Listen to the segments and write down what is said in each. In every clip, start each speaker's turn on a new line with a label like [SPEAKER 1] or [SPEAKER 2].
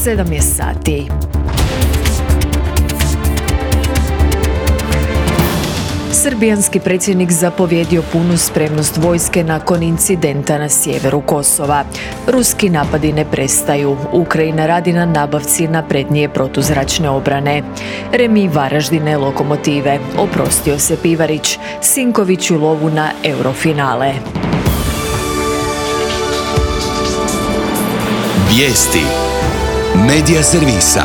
[SPEAKER 1] 7 je sati. Srbijanski predsjednik zapovjedio punu spremnost vojske nakon incidenta na sjeveru Kosova. Ruski napadi ne prestaju. Ukrajina radi na nabavci naprednije protuzračne obrane. Remi Varaždine Lokomotive. Oprostio se Pivarić. Sinković u lovu na Eurofinale.
[SPEAKER 2] Vijesti Medija servisa.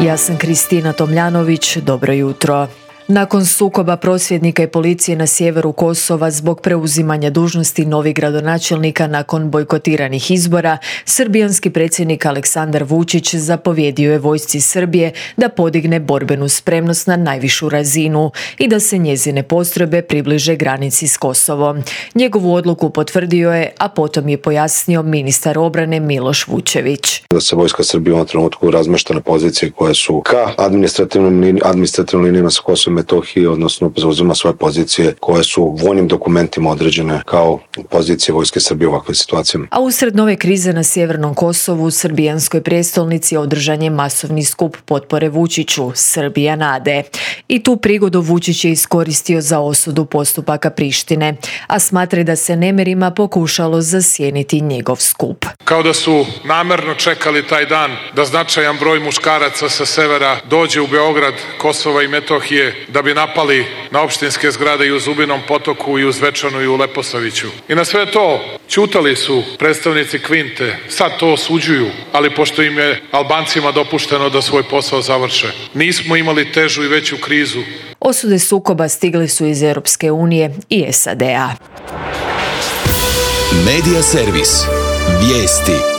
[SPEAKER 1] Ja sam Kristina Tomljanović. Dobro jutro. Nakon sukoba prosvjednika i policije na sjeveru Kosova zbog preuzimanja dužnosti novih gradonačelnika nakon bojkotiranih izbora, srbijanski predsjednik Aleksandar Vučić zapovjedio je vojsci Srbije da podigne borbenu spremnost na najvišu razinu i da se njezine postrojbe približe granici s Kosovom. Njegovu odluku potvrdio je, a potom je pojasnio ministar obrane Miloš Vučević.
[SPEAKER 3] Da se vojska Srbije u ovom trenutku razmešta na pozicije koje su ka administrativnim linijama sa Kosovom Metohije, odnosno zauzima svoje pozicije koje su vojnim dokumentima određene kao pozicije vojske Srbije u ovakvim situacijama.
[SPEAKER 1] A usred nove krize na sjevernom Kosovu, u srbijanskoj prijestolnici održan je masovni skup potpore Vučiću, Srbija nade. I tu prigodu Vučić je iskoristio za osudu postupaka Prištine, a smatra da se nemirima pokušalo zasjeniti njegov skup.
[SPEAKER 4] Kao da su namerno čekali taj dan da značajan broj muškaraca sa severa dođe u Beograd, Kosova i Metohije da bi napali na opštinske zgrade i u Zubinom Potoku i u Zvečanu i u Leposaviću. I na sve to ćutali su predstavnici Kvinte, sad to osuđuju, ali pošto im je Albancima dopušteno da svoj posao završe. Nismo imali težu i veću krizu.
[SPEAKER 1] Osude sukoba stigle su iz Europske unije i SAD-a.
[SPEAKER 2] Medija servis. Vijesti.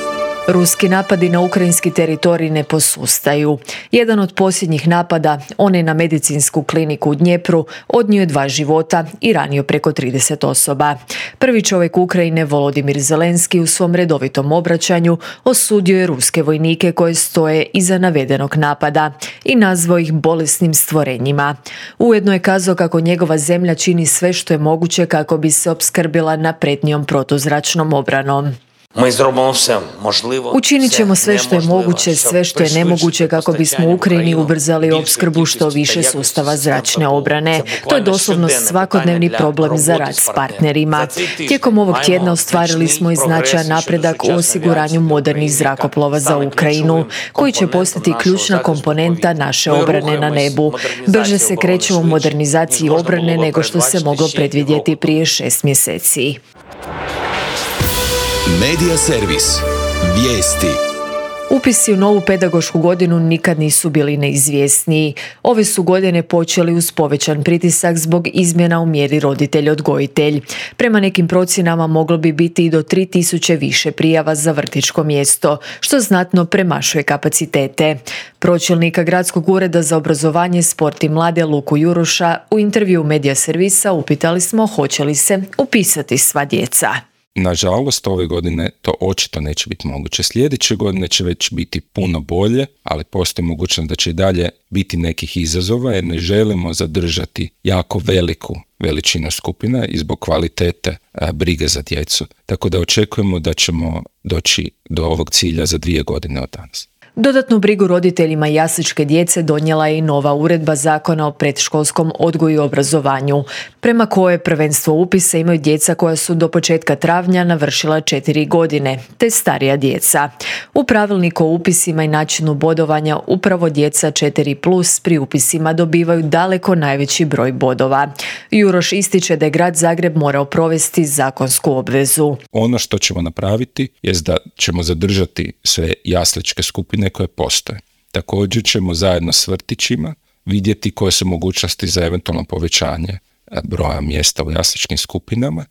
[SPEAKER 1] Ruski napadi na ukrajinski teritorij ne posustaju. Jedan od posljednjih napada, onaj na medicinsku kliniku u Dnjepru, odnio je 2 života i ranio preko 30 osoba. Prvi čovjek Ukrajine, Volodimir Zelenski, u svom redovitom obraćanju osudio je ruske vojnike koje stoje iza navedenog napada i nazvao ih bolesnim stvorenjima. Ujedno je kazao kako njegova zemlja čini sve što je moguće kako bi se opskrbila naprednijom protuzračnom obranom. Učinit ćemo sve što je moguće, sve što je nemoguće kako bismo u Ukrajini ubrzali opskrbu što više sustava zračne obrane. To je doslovno svakodnevni problem za rad s partnerima. Tijekom ovog tjedna ostvarili smo i značajan napredak u osiguranju modernih zrakoplova za Ukrajinu, koji će postati ključna komponenta naše obrane na nebu. Brže se krećemo u modernizaciji obrane nego što se moglo predvidjeti prije 6 mjeseci.
[SPEAKER 2] Medija servis. Vijesti.
[SPEAKER 1] Upisi u novu pedagošku godinu nikad nisu bili neizvjesniji. Ove su godine počeli uz povećan pritisak zbog izmjena u mjeri roditelj-odgojitelj. Prema nekim procjenama moglo bi biti i do 3000 više prijava za vrtićko mjesto, što znatno premašuje kapacitete. Pročelnika Gradskog ureda za obrazovanje, sport i mlade Luku Juruša u intervju Medija servisa upitali smo hoće li se upisati sva djeca.
[SPEAKER 5] Nažalost, ove godine to očito neće biti moguće. Sljedeće godine će već biti puno bolje, ali postoji mogućnost da će i dalje biti nekih izazova jer ne želimo zadržati jako veliku veličinu skupina i zbog kvalitete brige za djecu. Tako da očekujemo da ćemo doći do ovog cilja za 2 godine od danas.
[SPEAKER 1] Dodatnu brigu roditeljima jasličke djece donijela je i nova uredba Zakona o predškolskom odgoju i obrazovanju, prema kojoj prvenstvo upisa imaju djeca koja su do početka travnja navršila 4 godine, te starija djeca. U pravilniku o upisima i načinu bodovanja upravo djeca 4+ pri upisima dobivaju daleko najveći broj bodova. Juroš ističe da je grad Zagreb morao provesti zakonsku obvezu.
[SPEAKER 5] Ono što ćemo napraviti je da ćemo zadržati sve jasličke skupine koje postoje. Također ćemo zajedno s vrtićima vidjeti koje su mogućnosti za eventualno povećanje broja mjesta u jasličkim skupinama,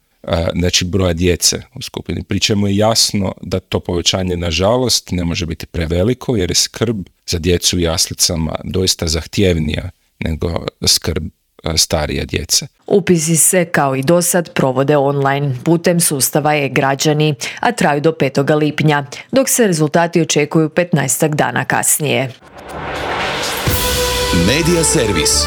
[SPEAKER 5] znači broja djece u skupini. Pri čemu je jasno da to povećanje nažalost ne može biti preveliko jer je skrb za djecu u jaslicama doista zahtjevnija nego skrb starije djece.
[SPEAKER 1] Upisi se, kao i dosad, provode online putem sustava e-građani, a traju do 5. lipnja, dok se rezultati očekuju 15 dana kasnije.
[SPEAKER 2] Medija servis.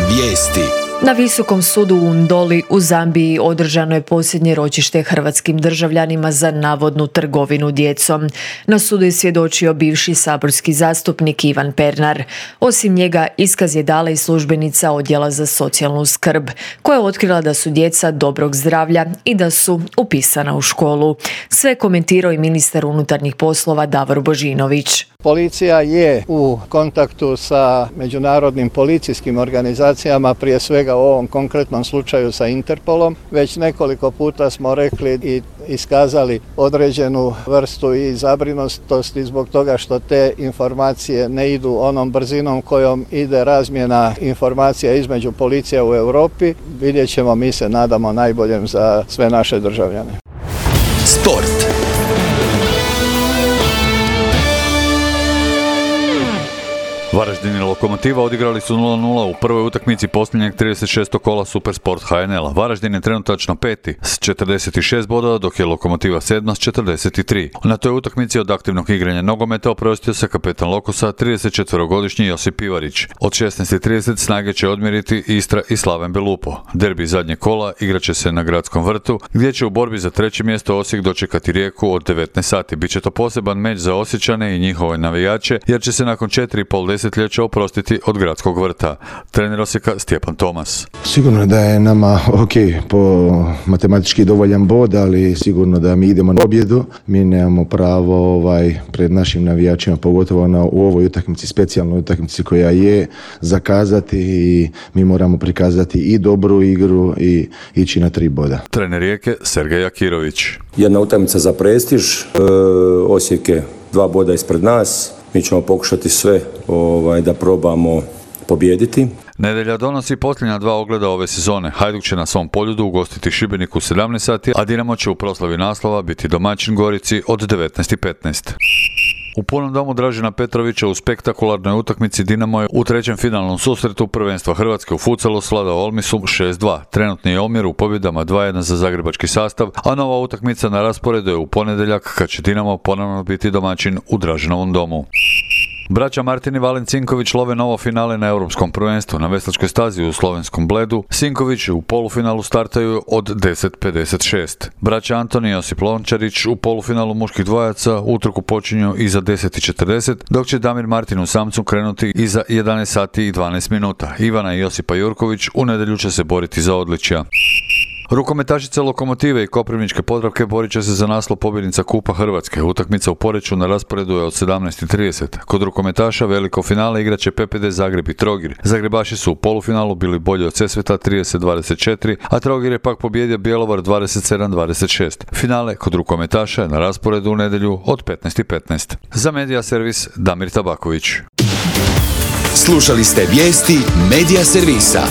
[SPEAKER 2] Vijesti.
[SPEAKER 1] Na Visokom sudu u Ndoli u Zambiji održano je posljednje ročište hrvatskim državljanima za navodnu trgovinu djecom. Na sudu je svjedočio bivši saborski zastupnik Ivan Pernar. Osim njega, iskaz je dala i službenica Odjela za socijalnu skrb, koja je otkrila da su djeca dobrog zdravlja i da su upisana u školu. Sve komentirao i ministar unutarnjih poslova Davor Božinović.
[SPEAKER 6] Policija je u kontaktu sa međunarodnim policijskim organizacijama, prije svega u ovom konkretnom slučaju sa Interpolom. Već nekoliko puta smo rekli i iskazali određenu vrstu i zabrinutosti zbog toga što te informacije ne idu onom brzinom kojom ide razmjena informacija između policija u Europi. Vidjet ćemo, mi se nadamo najboljem za sve naše državljane.
[SPEAKER 2] Sport.
[SPEAKER 7] Varaždin i Lokomotiva odigrali su 0-0 u prvoj utakmici posljednjeg 36. kola Supersport HNL-a. Varaždin je trenutačno peti s 46 bodova, dok je Lokomotiva 7. s 43. Na toj utakmici od aktivnog igranja nogometa oprostio se kapetan Lokosa 34-godišnji Josip Pivarić. Od 16:30 snage će odmjeriti Istra i Slaven Belupo. Derbi zadnjeg kola igraće se na Gradskom vrtu, gdje će u borbi za treće mjesto Osijek dočekati Rijeku od 19 sati. Biće to poseban meč za Osječane i njihove navijače, jer će se nakon 4,5 desetljeća oprostiti od Gradskog vrta. Trener Osijeka Stjepan Tomas.
[SPEAKER 8] Sigurno da je nama po matematički dovoljan bod, ali sigurno da mi idemo na pobjedu. Mi nemamo pravo pred našim navijačima, pogotovo u ovoj utakmici, specijalnoj utakmici koja je, zakazati i mi moramo prikazati i dobru igru i ići na 3 boda.
[SPEAKER 7] Trener Rijeke Sergej Akirović.
[SPEAKER 9] Jedna utakmica za prestiž, Osijek je 2 boda ispred nas. Mi ćemo pokušati sve da probamo pobijediti.
[SPEAKER 7] Nedjelja donosi posljednja 2 ogleda ove sezone. Hajduk će na svom Poljudu ugostiti Šibenik u 17 sati, a Dinamo će u proslavi naslova biti domaćin Gorici od 19:15. U punom domu Dražena Petrovića u spektakularnoj utakmici Dinamo je u trećem finalnom susretu prvenstva Hrvatske u futsalu svladao Olmisu 6-2. Trenutni je omjer u pobjedama 2-1 za zagrebački sastav, a nova utakmica na rasporedu je u ponedjeljak kad će Dinamo ponovno biti domaćin u Draženovom domu. Braća Martin i Valen Cinković love novo finale na Europskom prvenstvu na veslačkoj stazi u slovenskom Bledu. Cinković u polufinalu startaju od 10:56. Braća Antoni i Josip Lončarić u polufinalu muških dvojaca utrku počinju iza 10:40, dok će Damir Martin u samcu krenuti iza 11 sati i 12 minuta. Ivana i Josipa Jurković u nedjelju će se boriti za odličja. Rukometašice Lokomotive i Koprivničke Podravke borit će se za naslov pobjednica Kupa Hrvatske. Utakmica u Poreču na rasporedu je od 17:30. Kod rukometaša veliko finale igraće PPD Zagreb i Trogir. Zagrebaši su u polufinalu bili bolji od Sesveta 30-24, a Trogir je pak pobjedio Bjelovar 27-26. Finale kod rukometaša je na rasporedu u nedjelju od 15:15. Za Medija servis Damir Tabaković.
[SPEAKER 2] Slušali ste vijesti Medija servisa.